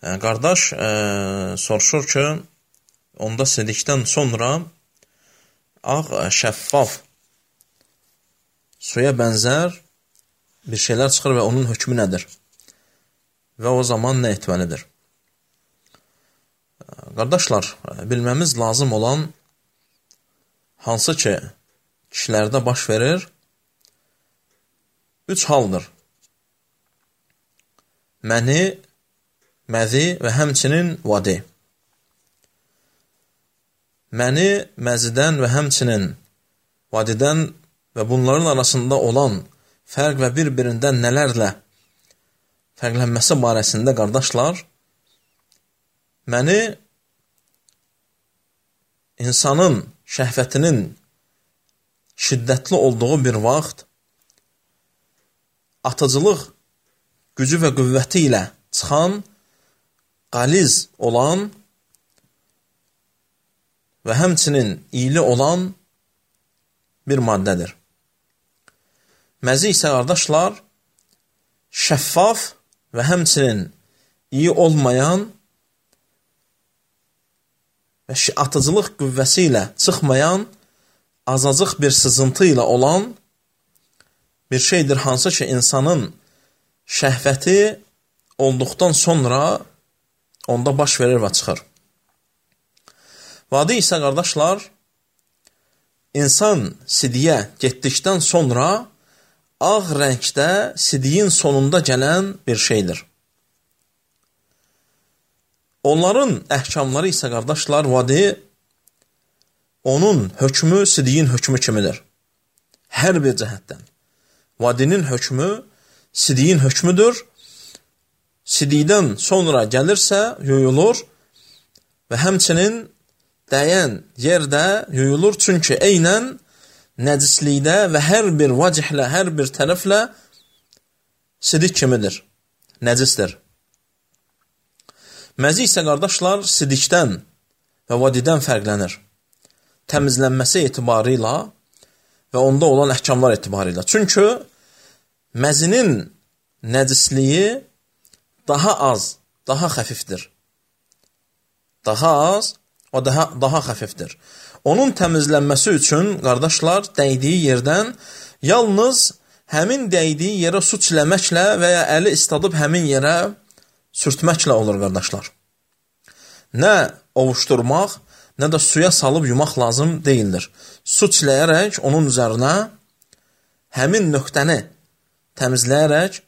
Qardaş soruşur ki, onda sidikdən sonra ağ, şəffaf, suya bənzər bir şeylər çıxır və onun hökmü nədir? Və o zaman nə etməlidir? Qardaşlar, bilməmiz lazım olan hansı ki, kişilərdə baş verir, 3 haldır. Məni, məzi və həmçinin vadi. Məni, məzidən və həmçinin vadidən və bunların arasında olan fərq və bir-birindən nələrlə fərqlənməsi barəsində qardaşlar, məni insanın şəhvətinin şiddətli olduğu bir vaxt atıcılıq gücü və qüvvəti ilə çıxan, qaliz olan və həmçinin iyili olan bir maddədir. Məzi isə qardaşlar, şəffaf və həmçinin iyi olmayan və atıcılıq qüvvəsi ilə çıxmayan, azacıq bir sızıntı ilə olan bir şeydir, hansı ki, insanın şəhvəti olduqdan sonra onda baş verir və çıxır. Vadi isə qardaşlar, insan sidiyə getdikdən sonra ağ rəngdə sidiyin sonunda gələn bir şeydir. Onların əhkamları isə qardaşlar, vadi, onun hökmü sidiyin hökmü kimidir. Hər bir cəhətdən. Vadinin hökmü sidiyin hökmüdür. Sidikdən sonra gəlirsə, yuyulur və həmçinin dəyən yerdə yuyulur. Çünki eynən nəcislikdə və hər bir vacihlə, hər bir tərəflə sidik kimidir, nəcisdir. Məzi isə qardaşlar sidikdən və vadidən fərqlənir. Təmizlənməsi etibarı ilə və onda olan əhkamlar etibarı ilə. Çünki məzinin nəcisliyi daha az, daha xəfifdir. Daha az, o daha xəfifdir. Onun təmizlənməsi üçün, qardaşlar, dəydiyi yerdən yalnız həmin dəydiyi yerə su çiləməklə və ya əli istadıb həmin yerə sürtməklə olur, qardaşlar. Nə ovuşdurmaq, nə də suya salıb yumaq lazım deyildir. Su çiləyərək onun üzərinə həmin nöqtəni təmizləyərək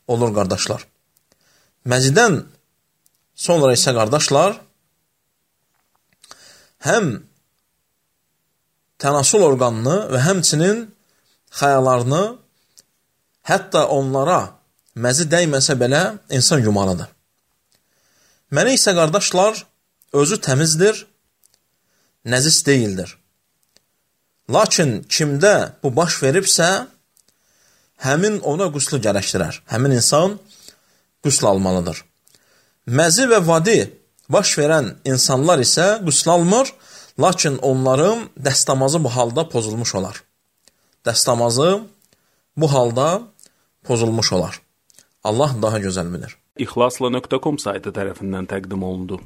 olur, qardaşlar. Məzidən sonra isə, qardaşlar, həm tənasül orqanını və həmçinin xəyalarını, hətta onlara məzi dəyməsə belə insan yumalıdır. Məni isə, qardaşlar, özü təmizdir, nəcis deyildir. Lakin kimdə bu baş veribsə, həmin ona qüslü gərəkdirər. Həmin insan qüsl almalıdır. Məzi və vadi baş verən insanlar isə qüsl almır, lakin onların dəstəmazı bu halda pozulmuş olar. Dəstəmazı bu halda pozulmuş olar. Allah daha gözəl bilir. İxlasla.com saytı tərəfindən təqdim olundu.